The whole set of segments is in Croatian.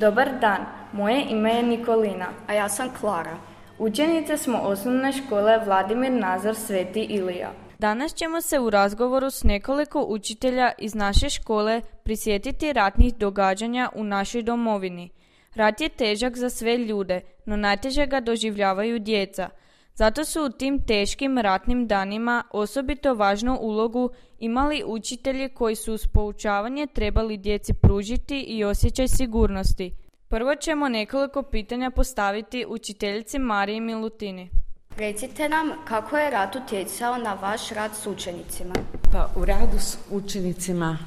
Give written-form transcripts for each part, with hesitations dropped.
Dobar dan, moje ime je Nikolina. A ja sam Klara. Učenice smo osnovne škole Vladimir Nazor Sveti Ilija. Danas ćemo se u razgovoru s nekoliko učitelja iz naše škole prisjetiti ratnih događanja u našoj domovini. Rat je težak za sve ljude, no najteže ga doživljavaju djeca. Zato su u tim teškim ratnim danima osobito važnu ulogu imali učitelji koji su uz poučavanje trebali djeci pružiti i osjećaj sigurnosti. Prvo ćemo nekoliko pitanja postaviti učiteljici Mariji Milutini. Recite nam kako je rat utjecao na vaš rad s učenicima? Pa u radu s učenicima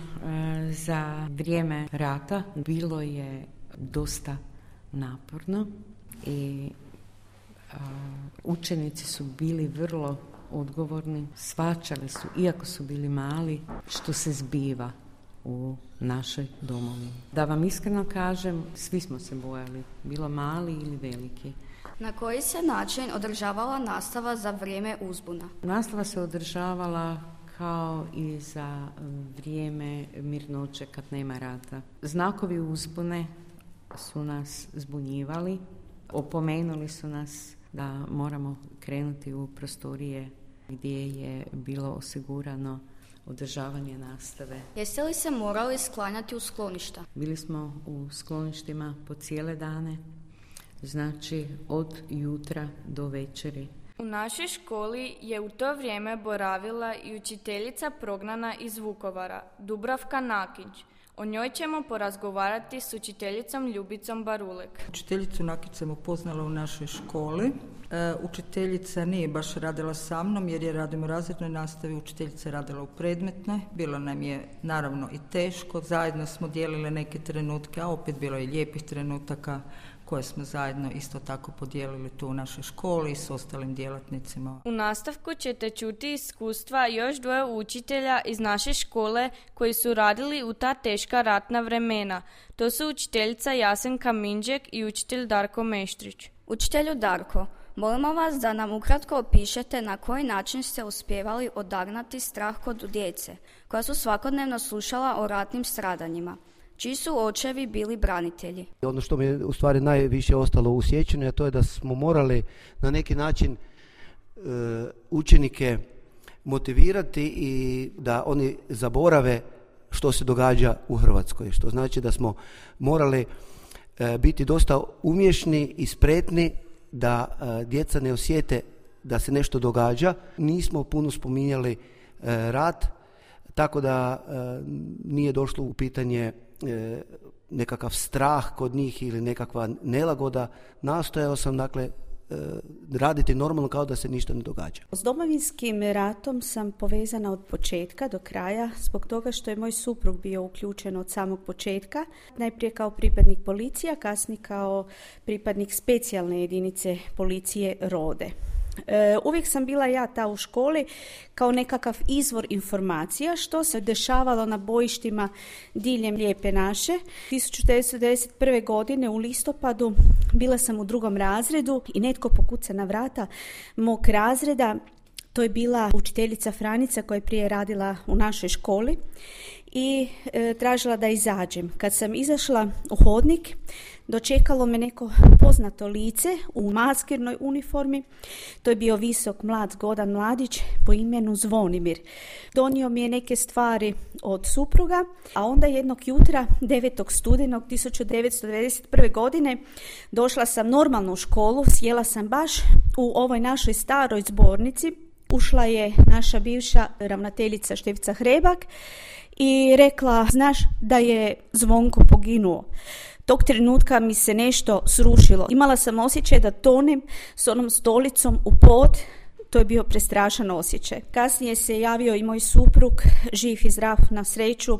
za vrijeme rata bilo je dosta naporno i učenici su bili vrlo odgovorni, shvaćali su, iako su bili mali, što se zbiva u našoj domovini. Da vam iskreno kažem, svi smo se bojali, bilo mali ili veliki. Na koji se način održavala nastava za vrijeme uzbuna? Nastava se održavala kao i za vrijeme mirnoće kad nema rata. Znakovi uzbune su nas zbunjivali, opomenuli su nas da moramo krenuti u prostorije gdje je bilo osigurano održavanje nastave. Jeste li se morali sklanjati u skloništa? Bili smo u skloništima po cijele dane, znači od jutra do večeri. U našoj školi je u to vrijeme boravila i učiteljica prognana iz Vukovara, Dubravka Nakić. O njoj ćemo porazgovarati s učiteljicom Ljubicom Barulek. Učiteljicu Nakić sam upoznala u našoj školi. Učiteljica nije baš radila sa mnom jer je radimo u razrednoj nastavi, učiteljica je radila u predmetnoj. Bilo nam je naravno i teško, zajedno smo dijelile neke trenutke, a opet bilo je lijepih trenutaka koje smo zajedno isto tako podijelili tu u našoj školi i s ostalim djelatnicima. U nastavku ćete čuti iskustva još dvoje učitelja iz naše škole koji su radili u ta teška ratna vremena. To su učiteljica Jasenka Minđek i učitelj Darko Meštrić. Učitelju Darko, molimo vas da nam ukratko opišete na koji način ste uspjevali odagnati strah kod djece koja su svakodnevno slušala o ratnim stradanjima. Čiji su očevi bili branitelji? Ono što mi je u stvari najviše ostalo u sjećanju, a to je da smo morali na neki način učenike motivirati i da oni zaborave što se događa u Hrvatskoj. Što znači da smo morali biti dosta umješni i spretni da djeca ne osjete da se nešto događa. Nismo puno spominjali rat, tako da nije došlo u pitanje nekakav strah kod njih ili nekakva nelagoda. Nastojao sam raditi normalno kao da se ništa ne događa. S Domovinskim ratom sam povezana od početka do kraja zbog toga što je moj suprug bio uključen od samog početka. Najprije kao pripadnik policije, a kasnije kao pripadnik specijalne jedinice policije Rode. Uvijek sam bila ja ta u školi kao nekakav izvor informacija što se dešavalo na bojištima diljem Lijepe naše. 1991. godine u listopadu bila sam u 2. razredu i netko pokuca na vrata mog razreda. To je bila učiteljica Franica koja je prije radila u našoj školi i tražila da izađem. Kad sam izašla u hodnik, dočekalo me neko poznato lice u maskirnoj uniformi. To je bio visok, mlad, zgodan mladić po imenu Zvonimir. Donio mi je neke stvari od supruga, a onda jednog jutra, 9. studenog 1991. godine, došla sam normalno u školu, sjela sam baš u ovoj našoj staroj zbornici. Ušla je naša bivša ravnateljica Štefica Hrebak i rekla, znaš da je Zvonko poginuo. Tog trenutka mi se nešto srušilo. Imala sam osjećaj da tonem s onom stolicom u pod. To je bio prestrašan osjećaj. Kasnije se javio i moj suprug, živ i zdrav na sreću.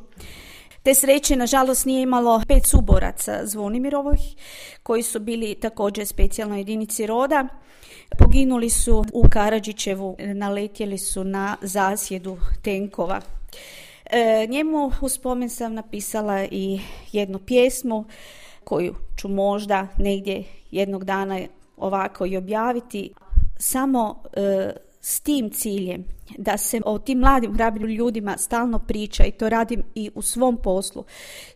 Te sreće, nažalost, nije imalo 5 suboraca Zvonimirovih, koji su bili također specijalnoj jedinici Roda. Poginuli su u Karadžićevu, naletjeli su na zasjedu tenkova. Njemu u spomen sam napisala i jednu pjesmu koju ću možda negdje jednog dana ovako i objaviti. Samo s tim ciljem da se o tim mladim hrabrim ljudima stalno priča, i to radim i u svom poslu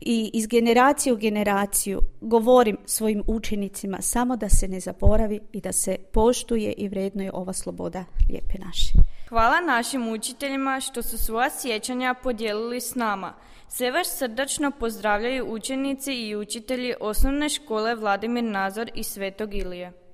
i iz generacije u generaciju govorim svojim učenicima samo da se ne zaboravi i da se poštuje i vrednuje ova sloboda lijepe naše. Hvala našim učiteljima što su svoja sjećanja podijelili s nama. Sve vas srdačno pozdravljaju učenici i učitelji osnovne škole Vladimir Nazor iz Svetog Ilije.